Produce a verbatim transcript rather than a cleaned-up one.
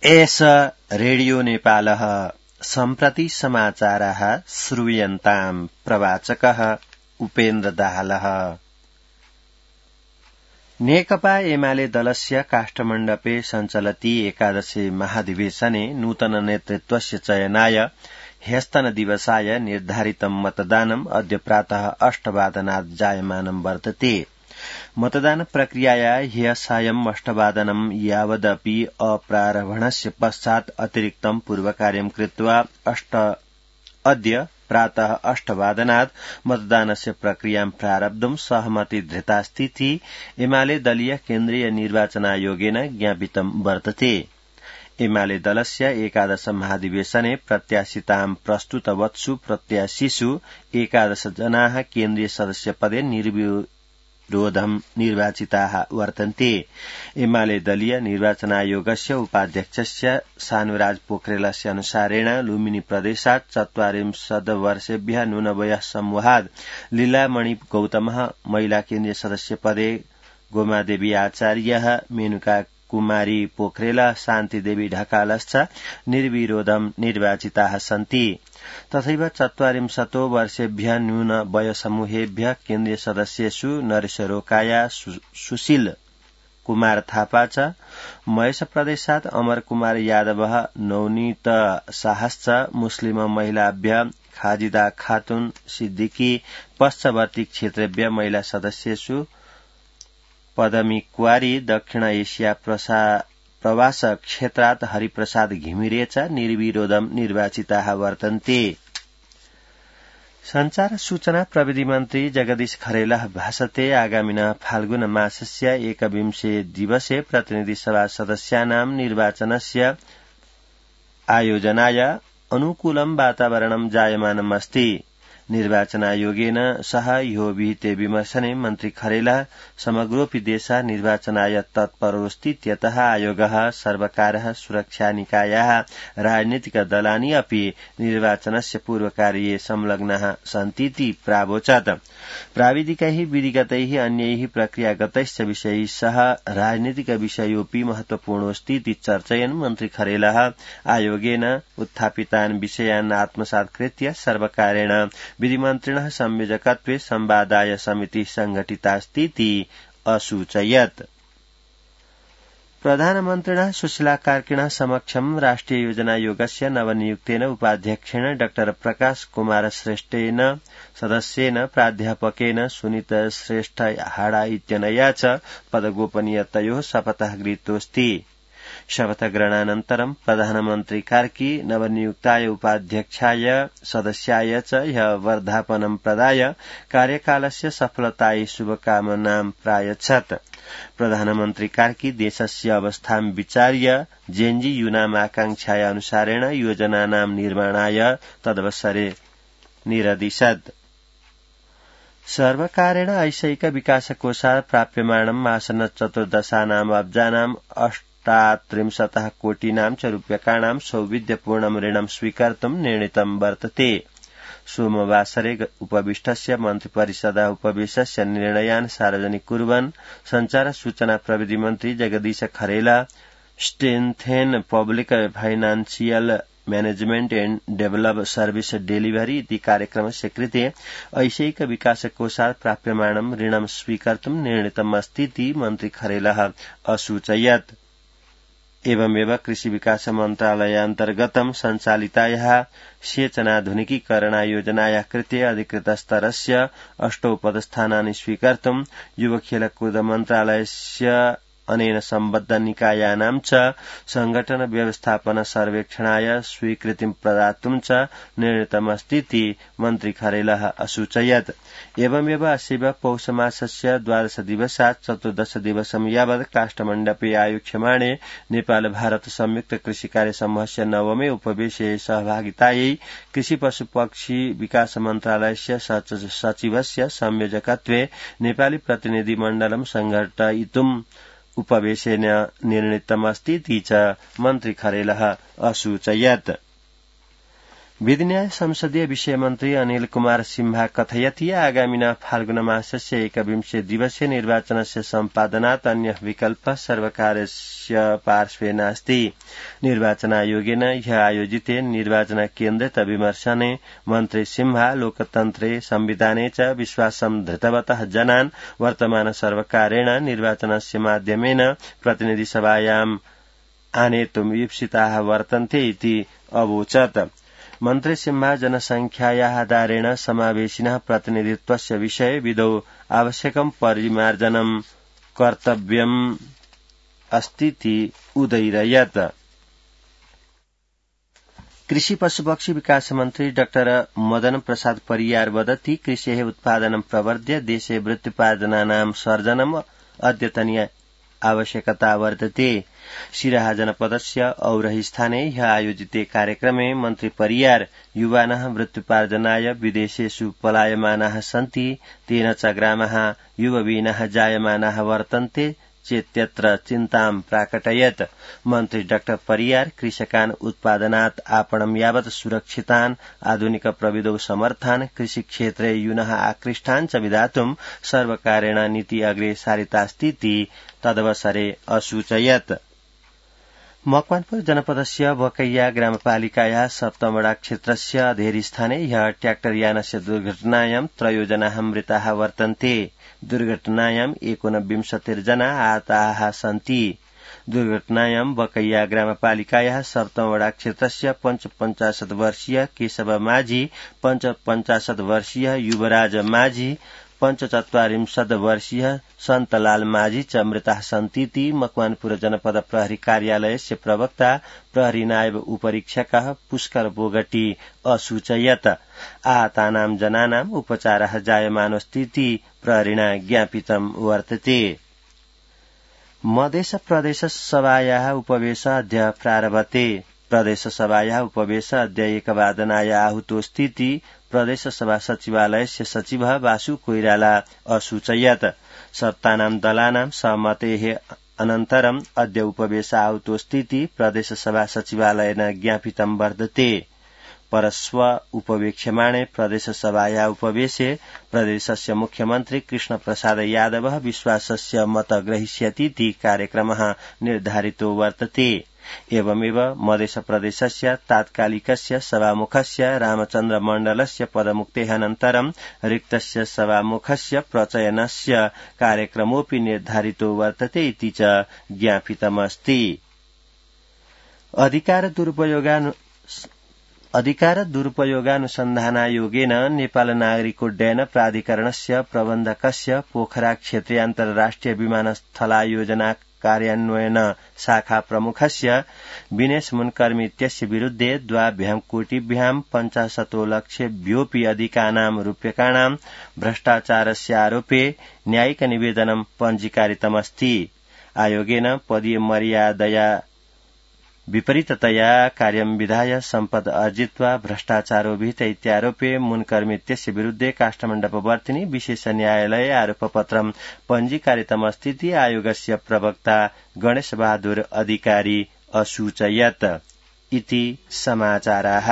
एष रेडियो नेपालः सम्प्रति समाचारः श्रूयन्ताम् प्रवाचकः उपेन्द्र दाहालः। नेकपा एमाले दलस्य काष्ठमण्डपे सञ्चलति एकादशे महाधिवेशने नूतन नेतृत्वस्य चयनाय ह्यस्तनदिवसाय निर्धारितं मतदानम् अद्य प्रातः अष्टवादनात् जायमानं वर्तते। मतदान प्रक्रियाया ह्यः सायम् अष्टवादनं यावदपि अप्रारम्भणस्य पश्चात् अतिरिक्तं पूर्वकार्यं कृत्वा अष्ट अद्य प्रातः अष्टवादनात् मतदानस्य प्रक्रियां प्रारब्धुं सहमति धृतास्तीति एमाले दलीय केन्द्रीय निर्वाचनायोगेन ज्ञापितं वर्तते। एमाले दलस्य एकादश महाधिवेशने प्रत्याशितां प्रस्तुतवत्सु प्रत्याशिषु एकादश जनाः केन्द्रीय सदस्यपदे निर्विरोधं निर्वाचिताः वर्तन्ते। एमाले दलीय निर्वाचनायोगस्य उपाध्यक्षस्य शानुराज पोखरेलस्य अनुसारेण लुम्बिनी प्रदेशात् चत्वारिंशत् वर्षेभ्यः न्यूनवयः समूहात् लीलामणि गौतमः, महिला केन्द्रीय सदस्यपदे गोमादेवी आचार्यः, मेनुका कुमारी पोखरेल, शान्तिदेवी ढकालश्च निर्विरोधं निर्वाचिताः सन्ति। तथैव चत्वारिंशतो वर्षेभ्यः न्यून वयसमूहेभ्यः केन्द्रीय सदस्येषु नरेश रोकाया, सुशील कुमार थापा च, महेश प्रदेशात् अमर कुमार यादवः, नवनीत शाहश्च, मुस्लिम महिलाभ्यः खाजिदा खातुन सिद्दिकी, पश्चवर्ती क्षेत्रेभ्यः महिला सदस्येषु पदमी कुवारी, दक्षिण एशिया प्रवास क्षेत्रात् हरिप्रसाद घिमिरे च निर्विरोधं निर्वाचिताः वर्तन्ते। संचार सूचना प्रविधि मन्त्री जगदीश खरेलः भाषते आगामिनः फाल्गुन मासस्य एकविंशे दिवसे प्रतिनिधि सभा सदस्यानां निर्वाचनस्य आयोजनाय अनुकूलं वातावरणं जायमानम् अस्ति। निर्वाचनायोगेन सह यो विहिते विमर्शने मन्त्री खरेलः समग्रोऽपि देशः निर्वाचनाय तत्परोऽस्तीत्यतः आयोगः, सर्वकारः, सुरक्षानिकायाः, राजनीतिक दलानि अपि निर्वाचनस्य पूर्वकार्ये संलग्नाः सन्तीति प्रावोचत्। प्राविधिकैः, विधिगतैः, अन्यैः प्रक्रियागतैश्च विषयैः सह राजनीतिक विषयोऽपि महत्वपूर्णोऽस्तीति चर्चयन् मन्त्री खरेलः आयोगेन उत्थापितान् विषयान् आत्मसात् कृत्य सर्वकारेण विधिमन्त्रिणः संयोजकत्वे संवादाय समिति संघटितास्तीति असूचयत्। प्रधानमन्त्रिणः सुशीला कार्किणः समक्षं राष्ट्रिय योजनायोगस्य नवनियुक्तेन उपाध्यक्षेण डॉ प्रकाश कुमार श्रेष्ठेन, सदस्येन प्राध्यापकेन सुनीत श्रेष्ठ हाडा इत्यनया च पदगोपनीयतयोः शपथः गृहीतोऽस्ति। शपथग्रहणानन्तरं प्रधानमन्त्री कार्की नवनियुक्ताय उपाध्यक्षाय सदस्याय च ह्यः वर्धापनं प्रदाय कार्यकालस्य सफलतायै शुभकामनां प्रायच्छत्। प्रधानमन्त्री कार्की देशस्य अवस्थां विचार्य जेएनजी यूनाम् आकांक्षाया अनुसारेण योजनानां निर्माणाय तदवसरे निरदिशत्। सर्वकारेण ऐशैक विकासकोषात् प्राप्यमाणम् आसन्न चतुर्दशानाम् अब्जानाम् अष्टात्रिंशतः कोटीनां च रूप्यकाणां सौविध्यपूर्णं ऋणं स्वीकर्तुं निर्णीतं वर्तते। सोमवासरे उपविष्टस्य मन्त्रिपरिषदः उपवेशस्य निर्णयान् सार्वजनिक कुर्वन् संचार सूचना प्रविधि मन्त्री जगदीश खरेला strengthen public financial management and develop service delivery इति कार्यक्रमस्य कृते ऐशैक विकासकोषात् प्राप्यमाणं ऋणं स्वीकर्तुं निर्णीतम् अस्तीति मन्त्री खरेलः असूचयत्। एवमेव कृषि विकास मन्त्रालयान्तर्गतं सञ्चालितायाः सेचनाधुनिकीकरणयोजनायाः कृते अधिकृतस्तरस्य अष्टौ पदस्थानानि स्वीकर्तुं युवखेलकूद मन्त्रालयस्य अनेन सम्बद्ध निकायानां च संघटन व्यवस्थापन सर्वेक्षणाय स्वीकृतिं प्रदातुं च निर्णीतमस्तीति मन्त्री खरेलः असूचयत्। एवमेव अस्यैव पौषमासस्य द्वादश दिवसात् चतुर्दश दिवसं यावत् काष्ठमण्डपे आयोक्ष्यमाणे नेपाल भारत संयुक्त कृषि कार्य समूहस्य नवमे उपवेशे सहभागितायै कृषि पशु पक्षी विकास मन्त्रालयस्य सचिवस्य संयोजकत्वे नेपाली प्रतिनिधि मण्डलं संघटयितुम् उपवेशेन निर्णीतमस्तीति च मन्त्री खरेलः असूचयत्। विधि न्याय संसदीय विषय मन्त्री अनिल कुमार सिम्हा कथयति आगामिना फाल्गुन मासस्य एकविंशे दिवसे निर्वाचनस्य सम्पादनात् अन्य विकल्प सर्वकारस्य पार्श्वे नास्ति। निर्वाचनायोगेन ह्य आयोजिते निर्वाचन केन्द्रित विमर्शने मन्त्री सिम्हा लोकतन्त्रे संविधाने च विश्वासं धृतवतः जनान् वर्तमान सर्वकारेण निर्वाचनस्य माध्यमेन प्रतिनिधिसभायाम् आनेतुम् ईप्सिताः वर्तन्ते इति अवोचत्। मन्त्री सिम्हा जनसंख्यायाः आधारेण समावेशिनः प्रतिनिधित्वस्य विषये विदौ आवश्यकं परिमार्जनं कर्तव्यम् अस्तीति उदयिरयत्। कृषि पशुपक्षी विकास मन्त्री डाक्टर मदन प्रसाद परियार वदति कृषेः उत्पादनं प्रवर्ध्य देशे वृत्तिपार्जनानां सर्जनम् अद्यतनीय आवश्यकता वर्तते। सिराहा जनपदस्य औरही स्थाने ह्य आयोजिते कार्यक्रमे मन्त्री परियार युवानः वृत्तिपार्जनाय विदेशेषु पलायमानाः सन्ति तेन च ग्रामाः युवविनः जायमानाः वर्तन्ते चेत्यत्र चिन्तां प्राकटयत्। मन्त्री डाक्टर परियार कृषकान् उत्पादनात् आपणं यावत् सुरक्षितान् आधुनिक प्रविधौ समर्थान् कृषिक्षेत्रे यूनः आकृष्टान् च विधातुं सर्वकारेण नीति अग्रे सारितास्तीति तदवसरे असूचयत्। मकवानपुर जनपदस्य बकैया ग्रामपालिकायाः सप्तमवडा क्षेत्रस्य अधेरी स्थाने ह्यः ट्र्याक्टरयानस्य दुर्घटनायां त्रयो जनाः मृताः वर्तन्ते। दुर्घटनायाम् एकोनविंशतिर्जना आहताः सन्ति। दुर्घटनायां बकैया ग्रामपालिकायाः सप्तमवडा क्षेत्रस्य पञ्चपञ्चाशत् वर्षीय केशव माझी, पञ्चपञ्चाशत् वर्षीय युवराज माझी, पञ्चचत्वारिंशत् वर्षीय सन्तलाल माझी च मृताः सन्तीति मकवानपुर जनपद प्रहरी कार्यालयस्य प्रवक्ता प्रहरी नायब उपरीक्षकः पुष्कर बोगटी असूचयत्। आहतानां जनानाम् उपचारः जायमानोऽस्तीति प्रहरिणा ज्ञापितं वर्तते। मधेस प्रदेश सभायाः उपवेश अद्य प्रारभते। प्रदेश सभायाः उपवेश अद्य एकवादनाय आहूतोऽस्तीति प्रदेश सभा सचिवालयस्य सचिवः वासु कोइराला असूचयत्। सत्तानां दलानां सहमतेः अनन्तरम् अद्य उपवेश आहूतोऽस्तीति प्रदेश सभा सचिवालयेन ज्ञापितं वर्तते। परस्व उपवेक्ष्यमाणे प्रदेश सभायाः उपवेशे प्रदेशस्य मुख्यमन्त्री कृष्ण प्रसाद यादवः विश्वासस्य मत ग्रहीष्यतीति कार्यक्रमः निर्धारितो वर्तते। एवमेव मधेश प्रदेशस्य तात्कालिकस्य सभामुखस्य रामचन्द्र मण्डलस्य पदमुक्तेः अनन्तरं रिक्तस्य सभामुखस्य प्रचयनस्य कार्यक्रमोऽपि निर्धारितो वर्तते इति च ज्ञापितमस्ति। अधिकार दुरुपयोगानु अधिकार दुरुपयोगानुसन्धानायोगेन नेपाल नागरिकोड्डयन प्राधिकरणस्य प्रबन्धकस्य पोखरा क्षेत्रीय अन्तर्राष्ट्रिय विमानस्थलायोजना कार्यान्वयन शाखा प्रमुखस्य विनेश मुनकर्मी इत्यस्य विरुद्धे द्वाभ्यां कोटिभ्यां पञ्चाशतो लक्षेभ्योऽपि अधिकानां रूप्यकाणां भ्रष्टाचारस्य आरोपे न्यायिक निवेदनं पञ्जीकारितमस्ति। आयोगेन पदीय मर्यादया विपरीततया कार्यं विधाय सम्पद अर्जित्वा भ्रष्टाचारोभिहित इत्यारोपे मुनकर्मी इत्यस्य विरुद्धे काष्ठमण्डपवर्तिनि विशेष न्यायालये आरोपपत्रं पञ्जीकारितमस्तीति आयोगस्य प्रवक्ता गणेश बहादुर अधिकारी असूचयत्। इति समाचाराः।